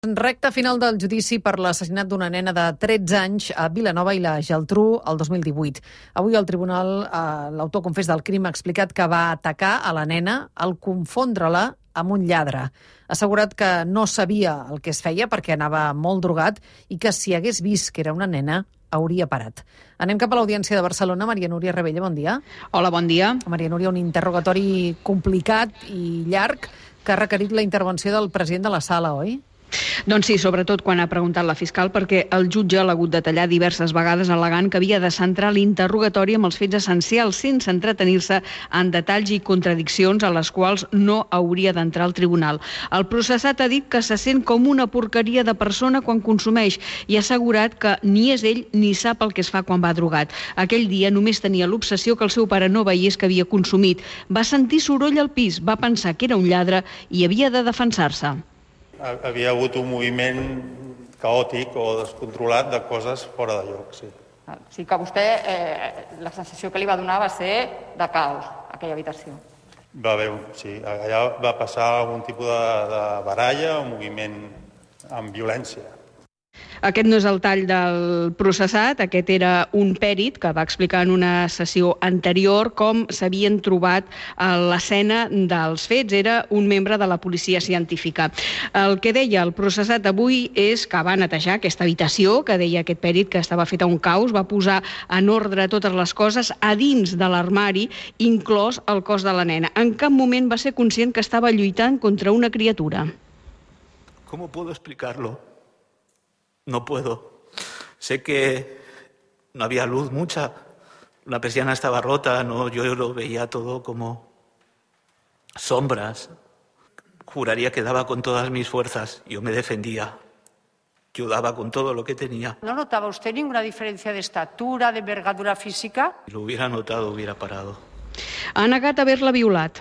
Recte final del judici per l'assassinat d'una nena de 13 anys a Vilanova i la Geltrú el 2018. Avui el tribunal, l'autor confés del crim, ha explicat que va atacar a la nena al confondre-la amb un lladre. Ha assegurat que no sabia el que es feia perquè anava molt drogat i que si hagués vist que era una nena hauria parat. Anem cap a l'Audiència de Barcelona. Maria Núria Rebella, bon dia. Hola, bon dia. Maria Núria, un interrogatori complicat i llarg que ha requerit la intervenció del president de la sala, oi? Doncs sí, sobretot quan ha preguntat la fiscal, perquè el jutge l'ha hagut de tallar diverses vegades al·legant que havia de centrar l'interrogatori amb els fets essencials sense entretenir-se en detalls i contradiccions a les quals no hauria d'entrar al tribunal. El processat ha dit que se sent com una porqueria de persona quan consumeix i ha assegurat que ni és ell ni sap el que es fa quan va drogat. Aquell dia només tenia l'obsessió que el seu pare no veiés que havia consumit. Va sentir soroll al pis, va pensar que era un lladre i havia de defensar-se. Havia hagut un moviment caòtic o descontrolat de coses fora de lloc, sí. Sí que vostè, la sensació que li va donar va ser de caos, aquella habitació. Va haver, sí, allà va passar algun tipus de baralla o moviment amb violència. Aquest no és el tall del processat, aquest era un pèrit que va explicar en una sessió anterior com s'havien trobat a l'escena dels fets. Era un membre de la policia científica. El que deia el processat avui és que va netejar aquesta habitació, que deia aquest pèrit que estava feta un caos, va posar en ordre totes les coses a dins de l'armari, inclòs el cos de la nena. En cap moment va ser conscient que estava lluitant contra una criatura. ¿Cómo puedo explicarlo? No puedo. Sé que no había luz mucha, la persiana estaba rota, yo lo veía todo como sombras. Juraría que daba con todas mis fuerzas, yo me defendía, yo daba con todo lo que tenía. ¿No notaba usted ninguna diferencia de estatura, de envergadura física? Si lo hubiera notado, hubiera parado. Ha negat haver-la violat.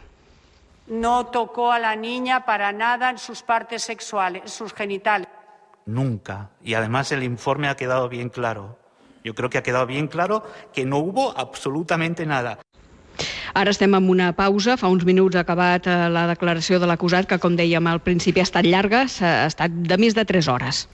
No tocó a la niña para nada en sus partes sexuales, en sus genitales. Nunca. Y además el informe ha quedado bien claro. Yo creo que ha quedado bien claro que no hubo absolutamente nada. Ara estem en una pausa. Fa uns minuts ha acabat la declaració de l'acusat, que, com dèiem al principi, ha estat llarga, ha estat de més de 3 hores.